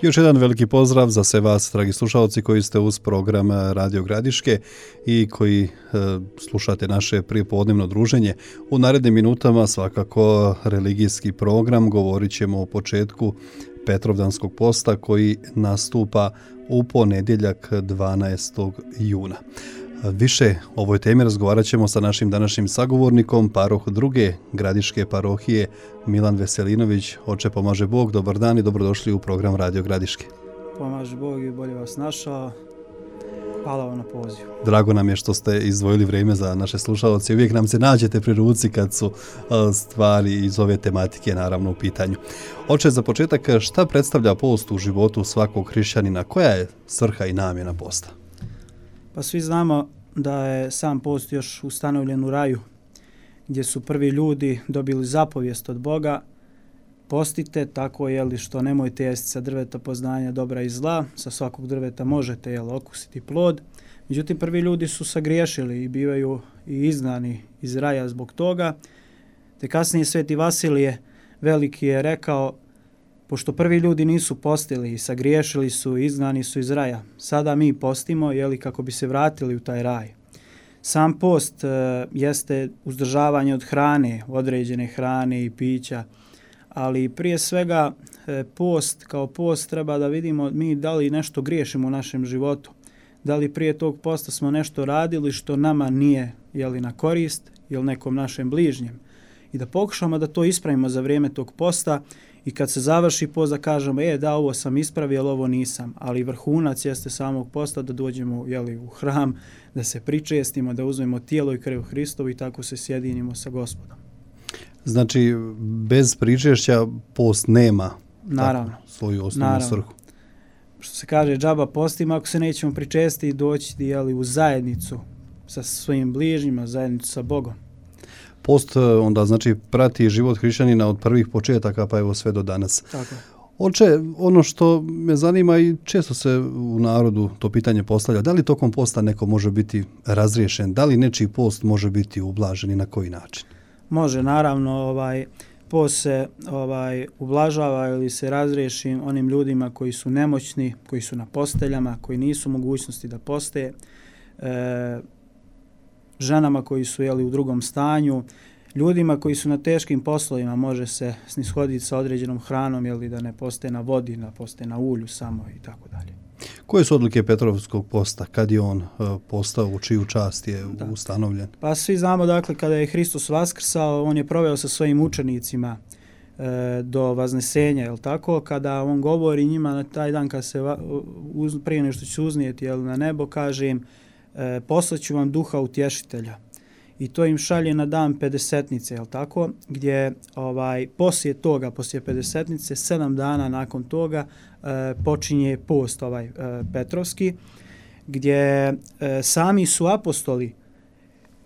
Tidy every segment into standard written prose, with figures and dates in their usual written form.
Još jedan veliki pozdrav za sve vas, dragi slušalci, koji ste uz program Radio Gradiške i koji slušate naše prijepodnevno druženje. U narednim minutama svakako religijski program, govorit ćemo o početku Petrovdanskog posta koji nastupa u ponedjeljak 12. juna. Više o ovoj temi razgovarat ćemo sa našim današnjim sagovornikom, paroh druge Gradiške parohije, Milan Veselinović. Oče, pomaže Bog, dobar dan i dobrodošli u program Radio Gradiške. Pomaže Bog i bolje vas našao. Hvala vam na pozivu. Drago nam je što ste izdvojili vrijeme za naše slušalce. Uvijek nam se nađete pri ruci kad su stvari iz ove tematike naravno u pitanju. Oče, za početak, šta predstavlja post u životu svakog hrišćanina? Koja je svrha i namjena posta? Pa svi znamo da je sam post još ustanovljen u raju, gdje su prvi ljudi dobili zapovijest od Boga: postite tako što nemojte jesti sa drveta poznanja dobra i zla, sa svakog drveta možete okusiti plod. Međutim, prvi ljudi su sagriješili i bivaju i izgnani iz raja zbog toga. Te kasnije Sveti Vasilije Veliki je rekao: pošto prvi ljudi nisu postili i sagriješili su i izgnani su iz raja, sada mi postimo kako bi se vratili u taj raj. Sam post jeste uzdržavanje od hrane, određene hrane i pića, ali prije svega post kao post treba da vidimo mi da li nešto griješimo u našem životu. Da li prije tog posta smo nešto radili što nama nije na korist ili nekom našem bližnjem. I da pokušamo da to ispravimo za vrijeme tog posta i kad se završi post da kažemo da ovo sam ispravio, ali ovo nisam. Ali vrhunac jeste samog posta da dođemo u hram, da se pričestimo, da uzmemo tijelo i krv Hristovu i tako se sjedinimo sa Gospodom. Znači, bez pričešća post nema svoju osnovnu svrhu. Što se kaže, džaba postima ako se nećemo pričestiti i doći u zajednicu sa svojim bližnjima, zajednicu sa Bogom. Post onda znači prati život hrišćanina od prvih početaka pa evo sve do danas. Tako. Oče, ono što me zanima i često se u narodu to pitanje postavlja, da li tokom posta neko može biti razriješen, da li nečiji post može biti ublažen i na koji način? Može, naravno, post se ublažava ili se razriješi onim ljudima koji su nemoćni, koji su na posteljama, koji nisu u mogućnosti da poste, ženama koji su u drugom stanju, ljudima koji su na teškim poslovima može se snishoditi sa određenom hranom, da ne poste na vodi, da poste na ulju samo i tako dalje. Koje su odlike Petrovskog posta? Kad je on postao, u čiju čast je ustanovljen? Pa svi znamo, kada je Hristos vaskrsao, on je proveo sa svojim učenicima do Vaznesenja, kada on govori njima na taj dan kad se prije nešto će uznijeti na nebo, kaže im: poslaću vam duha utješitelja. I to im šalje na dan Pedesetnice, gdje poslije Pedesetnice, 7 dana nakon toga počinje post Petrovski, gdje sami su apostoli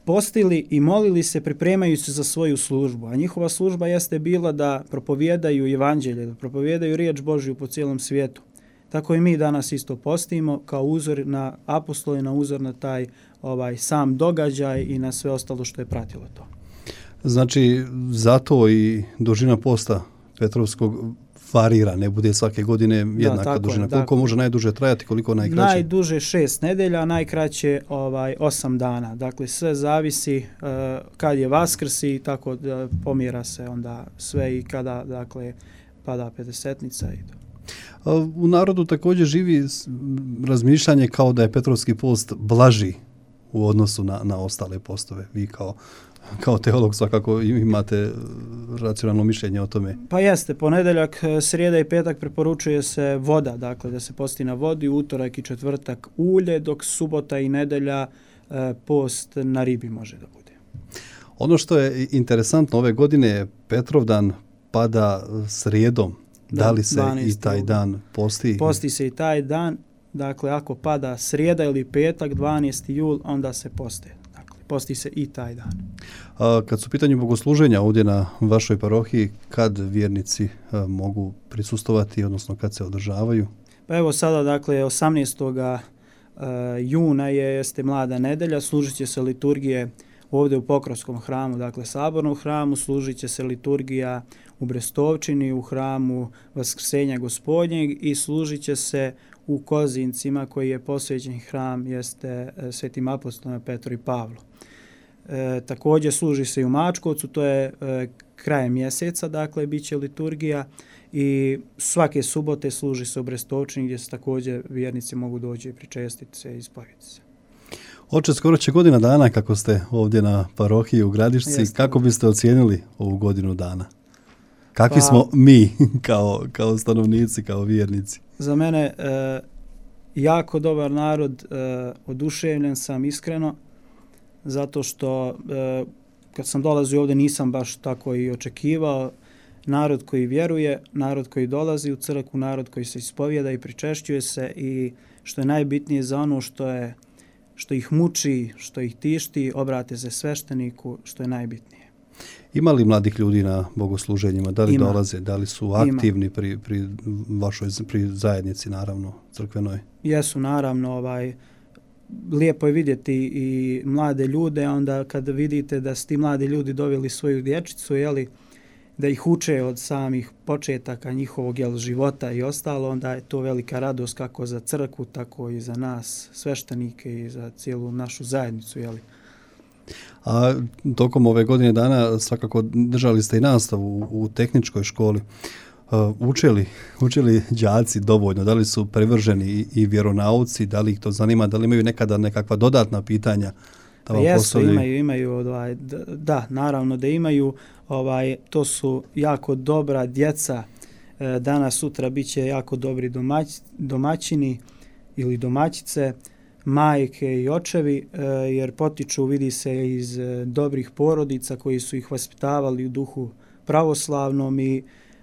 postili i molili se pripremajući se za svoju službu. A njihova služba jeste bila da propovijedaju evanđelje, da propovijedaju riječ Božju po cijelom svijetu. Tako i mi danas isto postimo kao uzor na apostoli, na uzor na taj sam događaj i na sve ostalo što je pratilo to. Znači, zato i dužina posta Petrovskog varira, ne bude svake godine jednaka dužina. Koliko može najduže trajati, koliko najkraće? Najduže 6 nedelja, najkraće 8 dana. Dakle, sve zavisi kad je Vaskrs i tako pomjera se onda sve i kada pada Pedesetnica i to. U narodu također živi razmišljanje kao da je Petrovski post blaži u odnosu na ostale postove. Vi kao teolog svakako imate racionalno mišljenje o tome. Pa jeste, ponedjeljak, srijeda i petak preporučuje se voda, da se posti na vodi, utorak i četvrtak ulje, dok subota i nedjelja post na ribi može da bude. Ono što je interesantno ove godine, Petrovdan pada srijedom. Da li se i taj dan posti? Posti se i taj dan. Dakle, ako pada srijeda ili petak, 12. jul, onda se poste. Dakle, posti se i taj dan. Kad su u pitanju bogosluženja ovdje na vašoj parohiji, kad vjernici mogu prisustovati, odnosno kad se održavaju? Pa evo sada, 18. juna jeste mlada nedelja, služit će se liturgije ovdje u Pokrovskom hramu, dakle sabornom hramu, služit će se liturgija u Brestovčini, u hramu Vaskrsenja Gospodnjeg i služit će se u Kozincima koji je posvećen hram jeste svetim apostolima Petru i Pavlu. Također služi se i u Mačkovcu, to je krajem mjeseca, dakle bit će liturgija i svake subote služi se u Brestovčini gdje se također vjernici mogu doći i pričestiti se i ispovjediti se. Oče, skoro će godina dana kako ste ovdje na parohiji u Gradišci. Jeste. Kako biste ocijenili ovu godinu dana? Kakvi smo mi kao stanovnici, kao vjernici? Za mene jako dobar narod, oduševljen sam iskreno, zato što kad sam dolazio ovdje nisam baš tako i očekivao. Narod koji vjeruje, narod koji dolazi u crkvu, narod koji se ispovjeda i pričešćuje se i što je najbitnije za ono što ih muči, što ih tišti, obrate se svešteniku, što je najbitnije. Ima li mladih ljudi na bogosluženjima? Da li dolaze? Da li su aktivni pri vašoj zajednici, naravno, crkvenoj? Jesu, naravno. Lijepo je vidjeti i mlade ljude, onda kad vidite da su ti mladi ljudi doveli svoju dječicu, da ih uče od samih početaka njihovog života i ostalo, onda je to velika radost kako za crkvu, tako i za nas, sveštenike i za cijelu našu zajednicu. A tokom ove godine dana svakako držali ste i nastavu u tehničkoj školi. Učili đaci dovoljno? Da li su privrženi i vjeronauci? Da li ih to zanima? Da li imaju nekada nekakva dodatna pitanja? Jesu, imaju. Da, naravno da imaju. To su jako dobra djeca. Danas, sutra bit će jako dobri domaćini ili domaćice, majke i očevi, jer potiču, vidi se, iz dobrih porodica koji su ih vaspitavali u duhu pravoslavnom i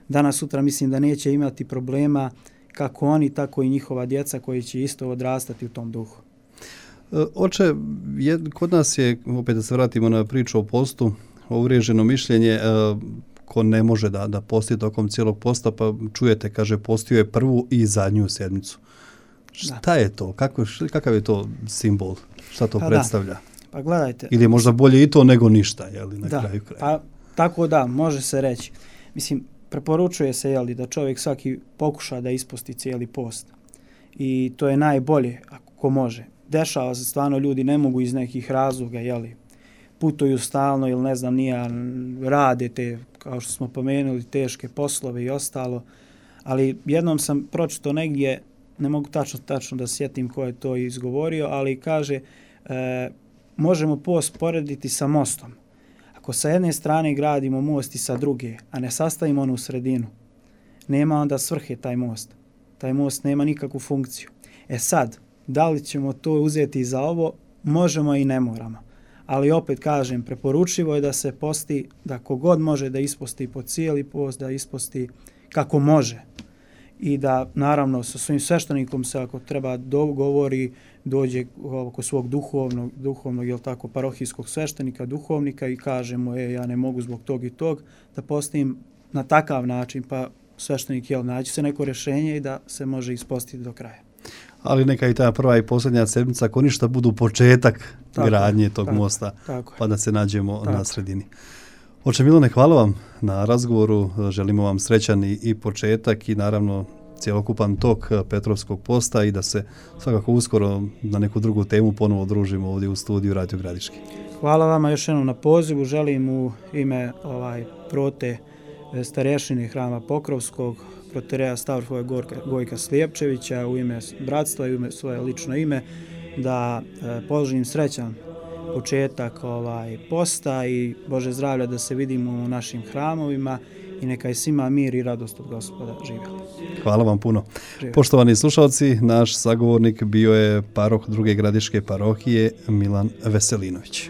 danas, sutra mislim da neće imati problema kako oni, tako i njihova djeca koji će isto odrastati u tom duhu. Oče, kod nas je, opet da se vratimo na priču o postu, uvriježeno mišljenje, ko ne može da posti tokom cijelog posta, pa čujete, kaže, postio je prvu i zadnju sedmicu. Šta je to? Kakav je to simbol? Šta to predstavlja? Pa gledajte. Ili je možda bolje i to nego ništa, na kraju kraja? Pa tako da, može se reći. Mislim, preporučuje se da čovjek svaki pokuša da isposti cijeli post. I to je najbolje ako može. Dešava se stvarno, ljudi ne mogu iz nekih razloga, putuju stalno ili ne znam nija, rade te, kao što smo pomenuli, teške poslove i ostalo. Ali jednom sam pročito negdje, ne mogu tačno da sjetim ko je to izgovorio, ali kaže, možemo post porediti sa mostom. Ako sa jedne strane gradimo most i sa druge, a ne sastavimo onu sredinu, nema onda svrhe taj most. Taj most nema nikakvu funkciju. Sad, da li ćemo to uzeti za ovo? Možemo i ne moramo. Ali opet kažem, preporučivo je da se posti, da kogod može da isposti po cijeli post, da isposti kako može. I da, naravno, sa svojim sveštenikom se, ako treba, dogovori, dođe oko svog duhovnog, parohijskog sveštenika, duhovnika i kaže mu, ja ne mogu zbog tog i tog, da postim na takav način, pa sveštenik, naći se neko rješenje i da se može ispostiti do kraja. Ali neka i ta prva i posljednja sedmica, ako ništa, budu početak gradnje tog mosta, pa da se nađemo na sredini. Oče Milane, hvala vam na razgovoru, želimo vam srećan i početak i naravno cjelokupan tok Petrovskog posta i da se svakako uskoro na neku drugu temu ponovo družimo ovdje u studiju Radio Gradiški. Hvala vama još jednom na pozivu, želim u ime prote starješine hrama Pokrovskog, protereja Stavroslava Gojka Slijepčevića, u ime bratstva i u ime svoje lično ime, da poželim srećan početak posta i Bože zdravlja da se vidimo u našim hramovima i neka je svima mir i radost od Gospoda. Živjeli. Hvala vam puno. Živjeli. Poštovani slušalci, naš sagovornik bio je paroh Druge Gradiške parohije Milan Veselinović.